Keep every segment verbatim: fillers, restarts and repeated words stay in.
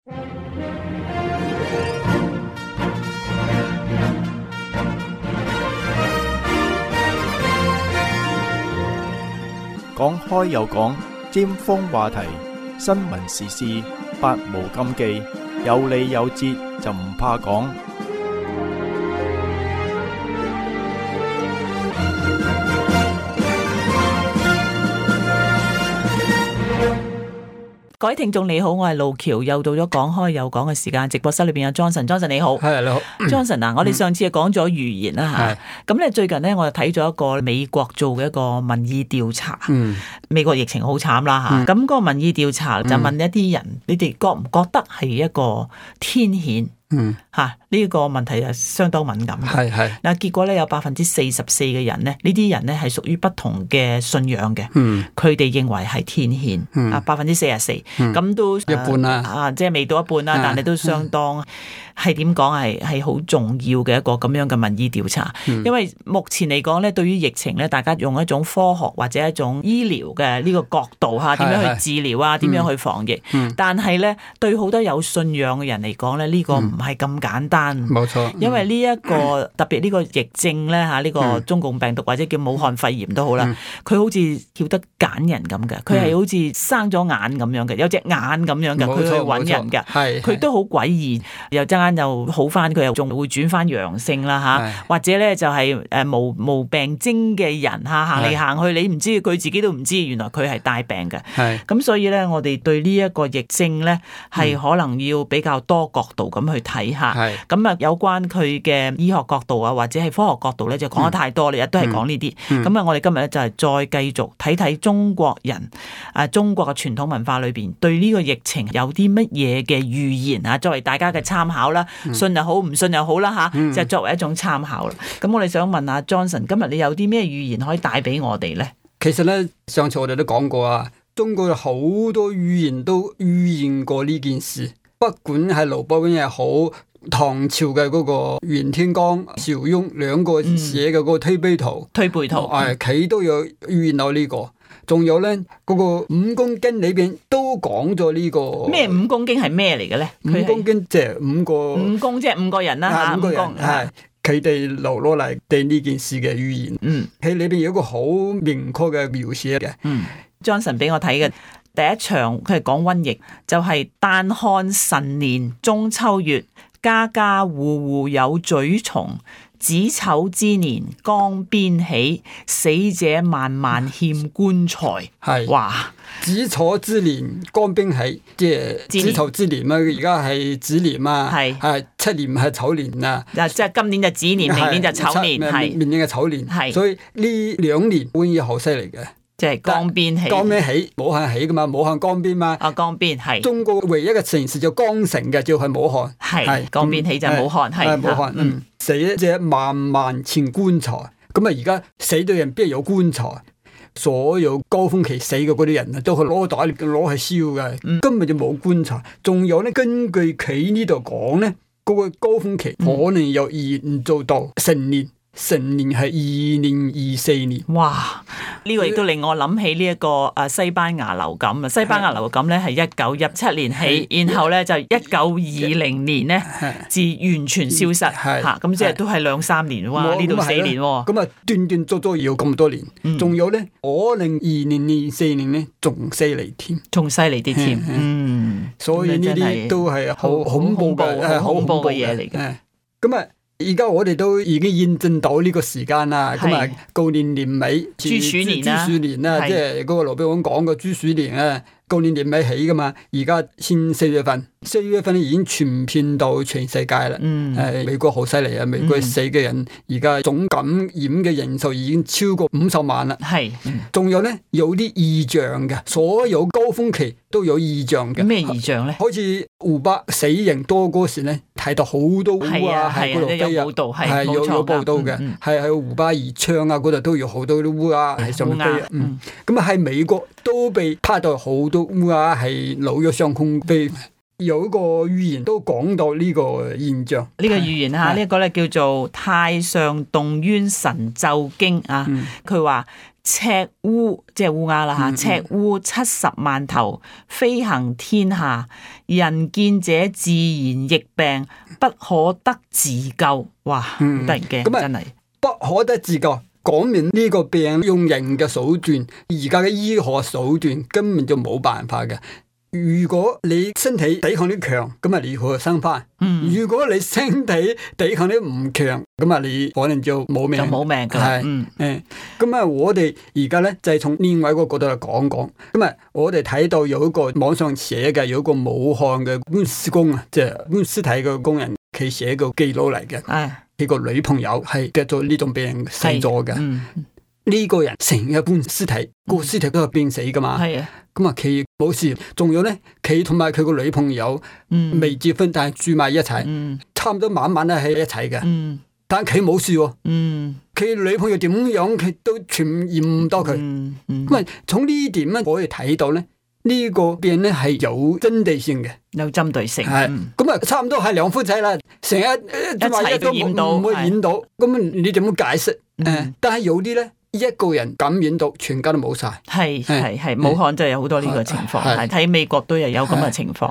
講開又講，尖鋒話題，新聞時事，百無禁忌，有理有節就唔怕講。各位聽眾你好，我係路橋，又到咗講開又講嘅時間。直播室裏邊有 Johnson，Johnson 你好，係你好 ，Johnson 啊，我哋上次係講咗預言啦吓，咁咧最近咧我就睇咗一個美國做嘅一個民意調查，嗯、美國疫情好慘啦吓，咁、嗯、嗰個民意調查就問一啲人，嗯、你哋覺唔覺得係一個天譴？嗯，吓呢、這個問題係相當敏感嘅。係係嗱，結果咧有百分之四十四嘅人咧，呢啲人咧係屬於不同嘅信仰嘅。嗯，佢哋認為係天譴。嗯，啊百分之四十四，咁都一半啦。啊，即係未到一半啦，但係都相當係點講係係好重要嘅一個咁樣嘅民意調查。嗯、因為目前嚟講咧，對於疫情咧，大家用一種科學或者一種醫療嘅呢個角度吓，點樣去治療啊，點樣去防疫。嗯、但係咧，對好多有信仰嘅人嚟講咧，呢、這個唔係咁簡單，冇錯。因為呢、這、一個、嗯、特別呢個疫症咧嚇，呢、這個中共病毒或者叫武漢肺炎都好啦，佢、嗯、好似曉得揀人咁嘅，佢係好似生咗眼咁樣嘅，有隻眼咁樣嘅，佢去揾人嘅，佢都好詭異，又陣間又好翻，佢又仲會轉翻陽性啦嚇，或者咧就係誒無無病徵嘅人嚇，行嚟行去，你唔知佢自己都唔知，原來佢係帶病嘅。咁所以咧，我哋對呢一個疫症咧係可能要比較多角度咁去睇下。咁啊，有關佢嘅醫學角度啊，或者係科學角度咧，就講得太多，你日都係講呢啲。咁、嗯、啊，我哋今日咧就係再繼續睇睇中國人啊，中國嘅傳統文化裏邊對呢個疫情有啲乜嘢嘅預言啊，作為大家嘅參考啦，嗯、信又好，唔信又好啦吓，嗯、就作為一種參考啦。咁我哋想問下 Johnson， 今日你有啲咩預言可以帶俾我哋咧？其實咧，上次我哋都講過啊，中國有好多預言都預言過呢件事，不管係劉伯溫又好。唐朝嘅嗰個袁天罡、邵雍兩個寫嘅嗰個推背圖、嗯、推背圖，誒，佢、嗯、都有預言到呢、這個。仲有咧，嗰、那個五公經裏邊都講咗呢個。咩五公經係咩嚟嘅咧？五公經即係五個五公，即係五個人啦吓，五個人係佢哋留落嚟對呢件事嘅預言。嗯，喺裏邊有一個好明確嘅描寫嘅。嗯 ，Johnson 俾我睇嘅第一場，佢係講瘟疫，就係、是、但看辰年中秋月。家家戶戶有蛆蟲，子丑之年江邊起，死者萬萬欠棺材。係哇！子丑之年江邊起，即係子丑之年嘛，而家係子年嘛，係係七年係丑年啊！嗱，即係今年就子年，明年就丑年，係明年嘅丑年，係所以呢兩年瘟疫好犀利嘅。即係江邊起，江邊起，武漢起噶嘛，武漢江邊嘛。啊，江邊係。中國唯一嘅城市就江城嘅，就係武漢。係江邊起就係武漢，係。係武漢，嗯。死者萬萬欠棺材，咁啊而家死咗人邊有棺材？所有高峰期死嘅嗰啲人啊，都係攞袋攞去燒嘅，嗯、根本就冇棺材。仲有咧，根據佢呢度講咧，嗰、嗰個高峰期可能又延續到成年。成年係二零二四年，哇！呢、這個亦都令我諗起呢一個誒西班牙流感啊！西班牙流感咧係一九一七年起，然後咧就一九二零年咧至完全消失嚇，咁即係都係兩三年哇！呢度四年喎，咁啊斷斷續續要咁多年，仲、嗯、有咧可能二零二四年咧仲犀利添，仲犀利啲添，嗯，所以呢啲都係好恐怖嘅，好恐怖嘅嘢嚟嘅，咁啊。而家我哋都已經驗證到呢個時間啦，咁啊，舊年年尾，豬鼠年啦，豬鼠年啦，即係嗰個羅賓講嘅豬鼠年啊，舊年年尾起噶嘛，而家先四月份，四月份已經傳遍到全世界啦。嗯，誒，美國好犀利啊，美國死嘅人而家總感染嘅人數已經超過五十萬啦。係，仲有咧有啲異象嘅，所有高峰期都有異象嘅。咩異象咧？好似湖北死人多嗰時咧，睇到好多烏鴉喺嗰度飛啊，係有有報道嘅，係喺湖北宜昌啊嗰度都有好多啲烏鴉喺上面飛啊。嗯，咁啊喺美國都被拍到好多烏鴉係紐約上空飛。有一個預言都講到呢個現象，呢個預言吓，呢一個咧叫做《太上動淵神咒經》啊，佢話。赤烏即係烏鴉啦吓，赤烏七十萬頭，飛行天下，人見者自然疫病，不可得自救。哇，好得人驚，真係不可得自救。講明呢個病用人嘅手段，而家嘅醫學手段根本就冇辦法嘅。如果你身體抵抗力強，咁啊你可以生翻。嗯、如果你身體抵抗力唔強，咁啊你可能就冇命。就冇命噶。係，嗯，誒，咁啊，我哋而家咧就係從另外一個角度嚟講講。咁啊，我哋睇到有一個網上寫嘅，有一個武漢嘅搬屍工啊，即係搬屍體嘅工人，佢寫個記錄嚟嘅。係，佢個女朋友係得咗呢種病死咗嘅。嗯。呢個人成日搬屍體，個屍體都係病死噶嘛。係啊，咁啊佢冇事，仲有咧，佢同埋佢個女朋友未結婚，但係住埋一齊，嗯、差唔多晚晚都喺一齊嘅。嗯、但係佢冇事喎。佢、嗯、女朋友點樣，佢都傳染唔到佢。咁啊、嗯，嗯、從呢點咧可以睇到咧，呢、這個病咧係有針對性嘅，有針對性。係咁啊，差唔多係兩夫妻啦，成日一齊都染到，唔會染到。咁的你點樣解釋？誒、嗯，但係有啲咧。一個人感染到，全家都冇晒。係係係，武漢真係有好多呢個情況。係睇美國都有有咁嘅情況。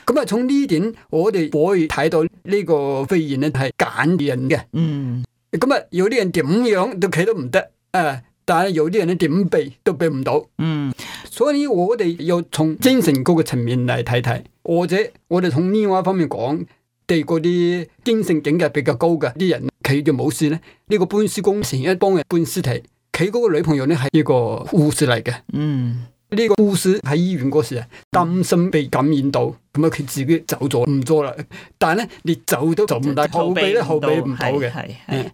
咁啊，從呢點我哋可以睇到呢個肺炎咧係揀人嘅。嗯。咁啊，有啲人點樣都企都唔得，誒，但係有啲人咧點避都避唔到。嗯。所以我哋要從精神嗰個層面嚟睇睇，或者我哋從另外一方面講，對嗰啲精神境界比較高嘅啲人，佢就冇事咧。呢個搬屍工成日幫人搬屍體。佢嗰個女朋友咧係一個護士嚟嘅，嗯，呢個護士喺醫院嗰時啊，擔心被感染到，咁啊佢自己走咗唔做啦。但係咧，你走都走唔到，後備咧後備唔到嘅，係係。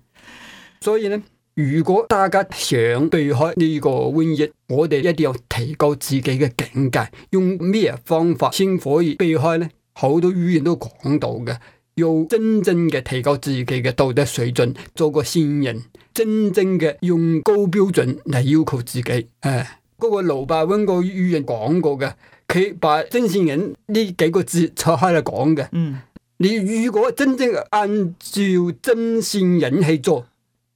所以咧，如果大家想避開呢個瘟疫，我哋一定要提高自己嘅境界。用咩方法先可以避開咧？好多語言都講到嘅，要真正嘅提高自己嘅道德水準，做個善人。真正嘅用高標準嚟要求自己，誒、哎，嗰、那個盧伯溫個語言講過嘅，佢把真善人呢幾個字拆開嚟講嘅。嗯，你如果真正按照真善人去做，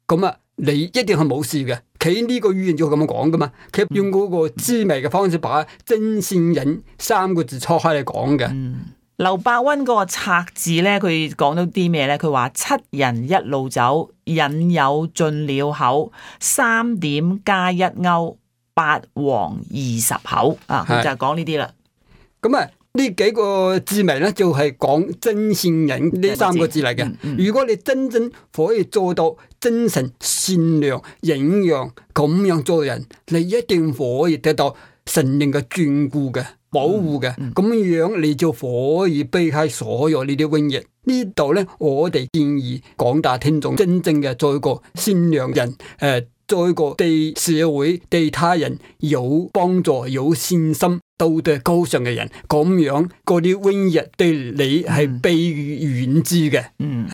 咁啊，你一定係冇事嘅。佢呢個語言就咁樣講噶嘛，佢用嗰個滋味嘅方式把真善人三個字拆開嚟講嘅。嗯，劉伯溫嗰個拆字咧，佢講到啲咩咧？佢話七人一路走，引誘進了口，三點加一勾，八黃二十口啊！佢就係講呢啲啦。咁啊，呢幾個字名咧就係講真善人呢三個字嚟嘅。嗯嗯、如果你真正可以做到真誠、善良、忍讓咁樣做人，你一定可以得到神靈嘅眷顧嘅。保護嘅，咁、嗯嗯、樣你就可以避開所有呢啲瘟疫。呢度咧，我哋建議廣大聽眾真正嘅做一個善良人，誒、呃，做一個對社會、對他人有幫助、有善心、道德高尚嘅人。咁樣嗰啲瘟疫對你係避而遠之嘅。嗯，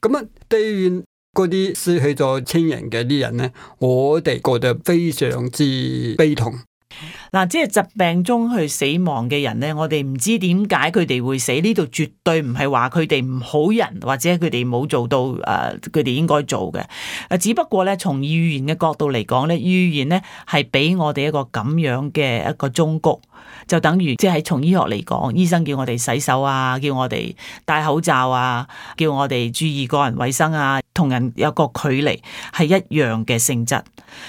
咁啊，對於嗰啲失去咗親人嘅啲人咧，我哋覺得非常之悲痛。嗱，即係疾病中去死亡嘅人咧，我哋唔知點解佢哋會死，呢度絕對唔係話佢哋唔好人，或者佢哋冇做到誒，佢哋應該做嘅。誒，只不過咧，從預言嘅角度嚟講咧，預言咧係俾我哋一個咁樣嘅一個忠告，就等於即係從醫學嚟講，醫生叫我哋洗手啊，叫我哋戴口罩啊，叫我哋注意個人衛生啊，同人有個距離，係一樣嘅性質。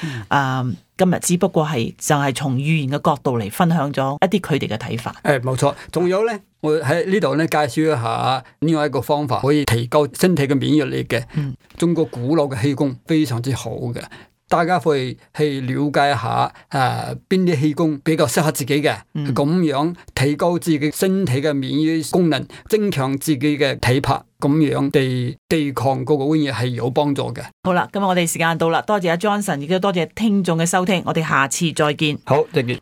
嗯。Uh, 今日只不過係就係從預言嘅角度嚟分享咗一啲佢哋嘅睇法。誒，冇錯。仲有咧，我喺呢度咧介紹一下另外一個方法，可以提高身體嘅免疫力嘅。嗯。中國古老嘅氣功非常之好嘅，大家可以去了解一下誒邊啲氣功比較適合自己嘅，咁、嗯、樣提高自己身體嘅免疫功能，增強自己嘅體魄。咁樣地對抗嗰個瘟疫係有幫助嘅。好啦，今日我哋時間到啦，多謝阿 Johnson，亦都多謝聽眾嘅收聽，我哋下次再見。好，再見。